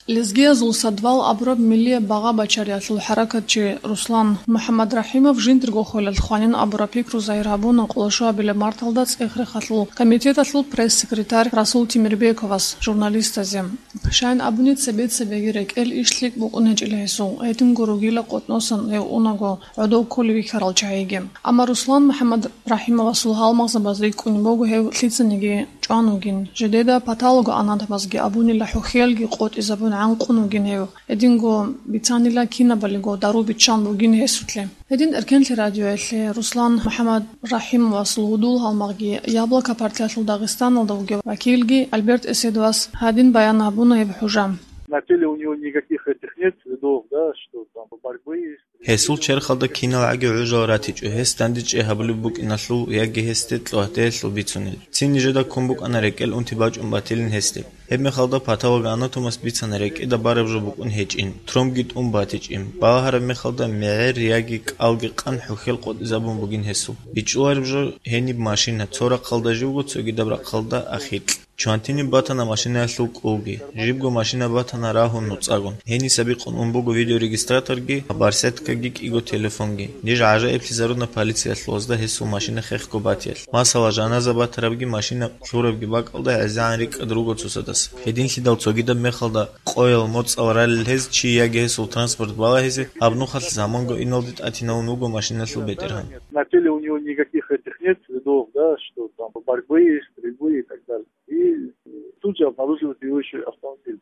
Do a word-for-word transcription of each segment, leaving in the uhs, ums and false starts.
Лезгиязул садвал абураб миллияб багъа-бачариялъул хӀаракатчи Руслан МухӀаммадрахӀимов жиндирго хвелалъ хванин абураб пикру загьир гьабуна къоло щуабилеб марталда ЦӀехрехалъул комитеталъул пресс-секретарь Расул Темирбековас журналистазе. Щайин абуни, цебе-цебеги рекӀел иш лъикӀ букӀун гьечӀила гьесул, гьединго ругила къотӀносан гьев унаго гӀодов кколев вихьарал чагӀиги. Амма Руслан МухӀаммадрахӀимовасул гьалмагъзабаз рикӀкӀунеб буго гьев лъицаниги чӀван вугин, жидеда патологоанатомазги абунила хӀухьелги къотӀизабун гӀанкъун вугин гьев, гьединго бицанила кинабалиго дару биччан бугин гьесулъе. Гьедин Эркенлъи радиоялъе Руслан МухӀаммадрахӀимовасул гьудул гьалмагъги Яблоко партиялъул Дагъистаналда вугев вакилги Альберт Эседовас гьадин баян гьабуна гьеб хӀужа. На теле у него никаких этих нет следов, да, что там борьбы есть. Гьесул черхалда кинал гӀаги гӀужал ратичӀо, гьес дандечӀей гьабулеб букӀиналъул яги гьесде кьогьтелъул бицунел. Цин нижеда ккун букӀана рекӀел унти бачӀун батилин гьесде. Гьебмехалда патологоанатомас бицана рекӀеда бараб жо букӀун гьечӀин, тромбги тӀун батичӀин. Балагьараб мехалда мегӀер яги кӀалги къан хӀухьел къотӀизабун бугин гьесул. БичӀчӀулареб жо гьениб машина, цо рахъалда живго, цогидаб рахъалда ахикь. Чвантиниб батана машинаялъул кӀулги. Жибго машина батана рагьун нуцӀагун. Гьениса бикъун ун буго видеорегистраторги, барсеткаги кӀиго телефонги. Ниж гӀажаиблъизаруна полициялъулазда гьесул машина хехго батиялъ. Масала, жаназа батарабги машина лъурабги бакӀалда гӀезегӀан рикӀкӀад руго цоцадаса. Гьединлъидал цогидаб мехалда къоял моцӀал ралел гьез чи яги гьесул транспорт балагьизе, гьаб нухалъ заманго иналде тӀатиналун вуго машиналъул бетӀергьан. На теле у него никаких этих нет следов, да, что там борьбы, стрельбы и так далее. И тут же обнаруживают его еще автомобиль.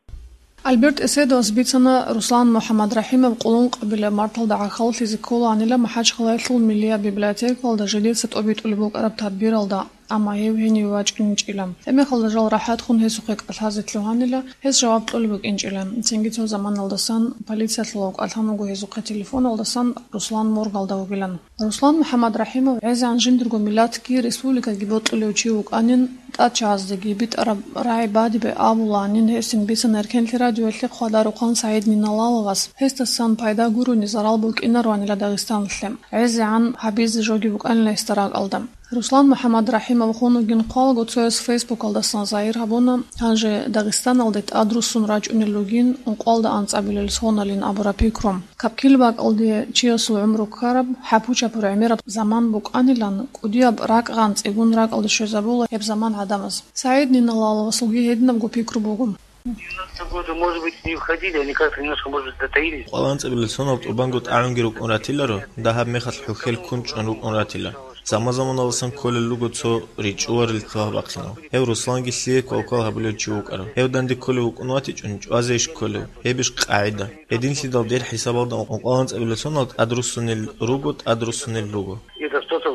Альберт Эседовас бицана, Руслан МухӀаммадрахӀимов къулун къабилеб марталда гӀахьаллъизе кколаанила МахӀачхъалаялъул миллияб библиотекалда жидеца тӀобитӀулеб букӀараб тадбиралда, амма гьев гьениве вачӀинчӀила. Гьебмехалда жал рахӀатхун гьесухъе кӀалъазе лъугьанила, гьес жаваб кьолеб букӀинчӀила. Цинги цо заманалдасан полициялъулав кӀалъан вуго гьезухъе телефоналдасан Руслан моргалда вугилан. Руслан МухӀаммадрахӀимов гӀезегӀан жиндирго миллатги республикаги бокьулев чи вукӀанин, тӀадчагьаздеги битӀараб рагӀи бадибе абулаанин гьесин бицана Эркенлъи радиоялъе хъвадарухъан СагӀид Ниналаловас, гьесдасан пайда гурони зарал букӀинаруанила Дагъистаналъе. ГӀезегӀан гьабизе жоги букӀанила гьесда ракӀалда. Руслан МухӀаммадрахӀимов хун вугин хъвалаго цояс Фейсбукалдасан загьир гьабуна, гьанже Дагъистаналде тӀадруссун рачӀунел ругин ункъоялда анцӀабилел соналин абураб пикру. Капкил бакӀалде чиясул гӀумру ккараб, хӀапу-чапу гӀемераб заман букӀанилан, кӀудияб ракӀгӀан цӀигун ракӀалде щвезабула гьеб заман гӀадамаз. СагӀид Ниналаловасулги гьединабго пикру буго. Девяностые годы, может быть, не входили, они как-то немножко, может быть, затаились. Къваланцабилел сонал тӀубанго тӀагӀунги рукӀун ратиларо, дагьаб мехалъ хӀухьел ккун чӀун рукӀун ратила. Заман-заманалдасан кколел руго цо ричӀчӀуларел лъугьа-бахъинал. Гьев Русланги лъие квалквал гьабулев чи вукӀарав. Гьев данде кколев вукӀун ватичӀун, чӀвазе иш кколев. Гьеб иш къагӀида. Гьединлъидал дир хӀисабалда ункъоялда анцӀабилел сонал тӀадруссунел руго, тӀадруссунел руго. Это что-то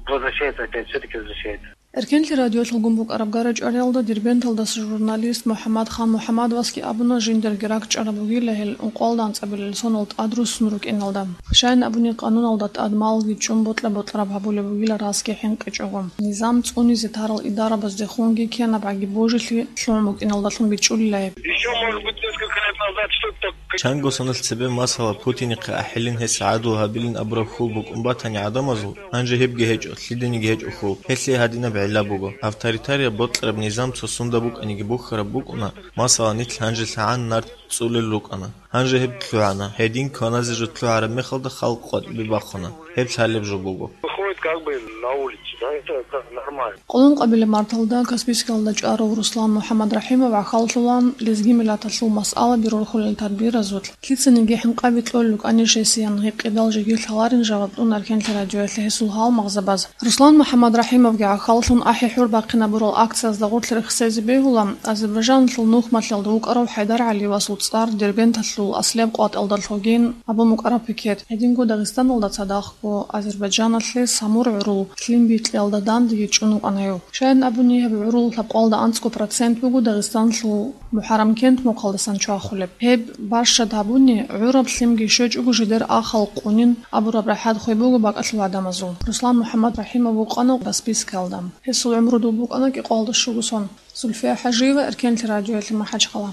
возвращается опять, всё-таки возвращается. Эркенлъи радиоялъулгун букӀараб гара-чӀвариялда Дербенталдаса журналист МухӀаммадхан МухӀаммадовасги абуна, жиндирги ракӀчӀараб бугила гьел ункъоялда анцӀабилел сонал тӀадруссун рукӀиналда. Щайин абуни, къануналда тӀад малги чӀун бокьа-бокьараб гьабулеб бугила расги хӀинкъичӀого. Низам цӀунизе тарал идарабаздехунги кенабгӀаги божилъи лъугӀун букӀиналдалъун бичӀчӀулила гьеб. Ещё, может быть, несколько лет назад что-то так Чанго соналъ цебе, масала, Путинихъе ахӀилин, гьес гӀадлу гьабилин абураб хьул букӀун батани гӀадамазул, гьанже гьебги гьечӀо, лъиданиги гьечӀо хьул. Гьелъие гьадинаб гӀилла буго. Авторитарияб бокьараб низам цо сунда букӀаниги бухьараб букӀуна, масала, нилъ гьанже лъагӀан нарт цӀулел рукӀана. Гьанже гьеб лъугӀана, гьедин кваназе жо лъугӀараб мехалда халкъ къватӀибе бахъуна. Гьеб лъалеб жо буго. Выходит как бы на улицу, да, это, это нормально. Къулун къабилеб марталда Каспийскиялда чӀварав Руслан МухӀаммадрахӀимов гӀахьаллъулан, лезги миллаталъул масъала бирулхъулел тадбиразулъ, лъицаниги хӀинкъаби кьолел рукӀанищ гьесиян гьикъидал жеги лъаларин жаваб кьуна Эркенлъи радиоялъе гьесул гьалмагъзабаз. Руслан МухӀаммадрахӀимовги гӀахьаллъун ахӀи-хӀур бахъинабурал акциязда гъорлъ рехсезе бегьула Азербайджаналъул Нухмалъалда вукӀарав ХӀайдар ГӀалиевасул цӀар Дербенталъул аслияб къватӀалда лъугьин абун букӀараб пикет. Гьединго Дагъистаналда цадахъго Азербайджаналъе Самур гӀурул лъим бикьиялда дандеги чӀун вукӀана гьев. Щайин абуни, гьеб гӀурул лъабкъоялда анцӀго процент буго Дагъистаналъул МухӀаррамкент мухъалдасан чвахулеб. Гьеб бащад гьабуни, гӀураб лъимги щвечӀого жидер ахал къунин абураб рахӀат хвей буго бакӀалъул гӀадамазул. Руслан МухӀаммадрахӀимов вукъана Каспийскиялда. Гьесул гӀумру доб букӀана кӀикъоялда щуго сон. Зульфия ХӀажиева, Эркенлъи радиоялъе, МахӀачхъала.